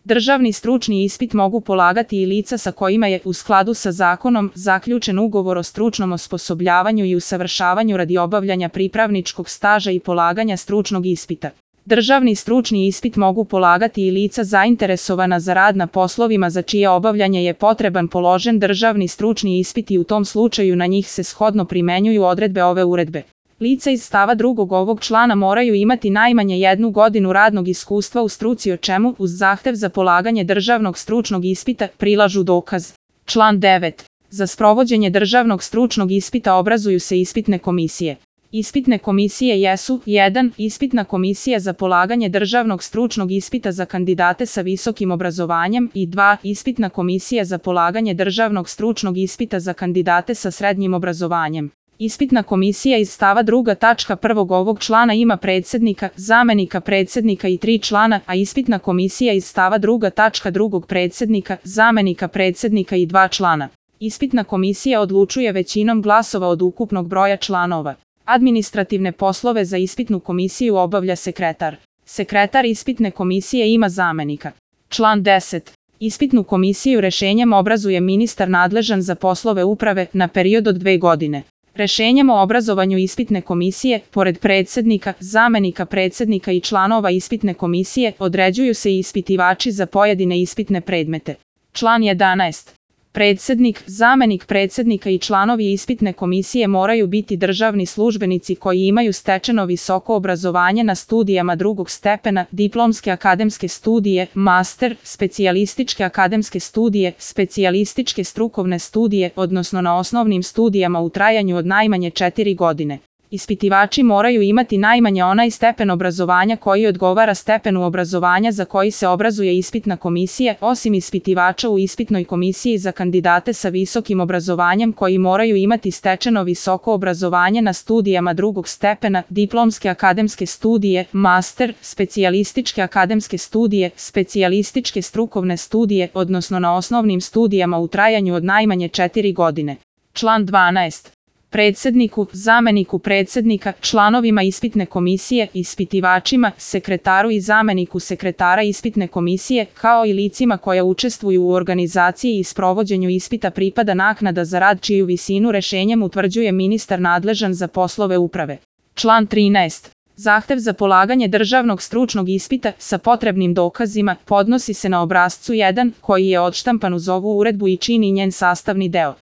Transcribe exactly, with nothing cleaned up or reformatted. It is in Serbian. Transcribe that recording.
Državni stručni ispit mogu polagati i lica sa kojima je, u skladu sa zakonom, zaključen ugovor o stručnom osposobljavanju i usavršavanju radi obavljanja pripravničkog staža i polaganja stručnog ispita. Državni stručni ispit mogu polagati i lica zainteresovana za rad na poslovima za čije obavljanje je potreban položen državni stručni ispit i u tom slučaju na njih se shodno primenjuju odredbe ove uredbe. Lica iz stava drugog ovog člana moraju imati najmanje jednu godinu radnog iskustva u struci o čemu, uz zahtev za polaganje državnog stručnog ispita, prilažu dokaz. Član devet. Za sprovođenje državnog stručnog ispita obrazuju se ispitne komisije. Ispitne komisije jesu: jedan. Ispitna komisija za polaganje državnog stručnog ispita za kandidate sa visokim obrazovanjem i dva. Ispitna komisija za polaganje državnog stručnog ispita za kandidate sa srednjim obrazovanjem. Ispitna komisija iz stava druga tačka prvog ovog člana ima predsednika, zamenika predsednika i tri člana, a ispitna komisija iz stava druga tačka drugog predsednika, zamenika predsednika i dva člana. Ispitna komisija odlučuje većinom glasova od ukupnog broja članova. Administrativne poslove za ispitnu komisiju obavlja sekretar. Sekretar ispitne komisije ima zamenika. Član deset. Ispitnu komisiju rešenjem obrazuje ministar nadležan za poslove uprave na period od dve godine. Rešenjem o obrazovanju ispitne komisije, pored predsednika, zamenika predsednika i članova ispitne komisije, određuju se i ispitivači za pojedine ispitne predmete. Član jedanaest. Predsednik, zamenik predsednika i članovi ispitne komisije moraju biti državni službenici koji imaju stečeno visoko obrazovanje na studijama drugog stepena, diplomske akademske studije, master, specijalističke akademske studije, specijalističke strukovne studije, odnosno na osnovnim studijama u trajanju od najmanje četiri godine. Ispitivači moraju imati najmanje onaj stepen obrazovanja koji odgovara stepenu obrazovanja za koji se obrazuje ispitna komisija, osim ispitivača u ispitnoj komisiji za kandidate sa visokim obrazovanjem koji moraju imati stečeno visoko obrazovanje na studijama drugog stepena, diplomske akademske studije, master, specijalističke akademske studije, specijalističke strukovne studije, odnosno na osnovnim studijama u trajanju od najmanje četiri godine. Član dvanaest. Predsedniku, zameniku predsednika, članovima ispitne komisije, ispitivačima, sekretaru i zameniku sekretara ispitne komisije, kao i licima koja učestvuju u organizaciji i sprovođenju ispita pripada naknada za rad čiju visinu rešenjem utvrđuje ministar nadležan za poslove uprave. Član trinaest. Zahtev za polaganje državnog stručnog ispita sa potrebnim dokazima podnosi se na obrascu jedan koji je odštampan uz ovu uredbu i čini njen sastavni deo.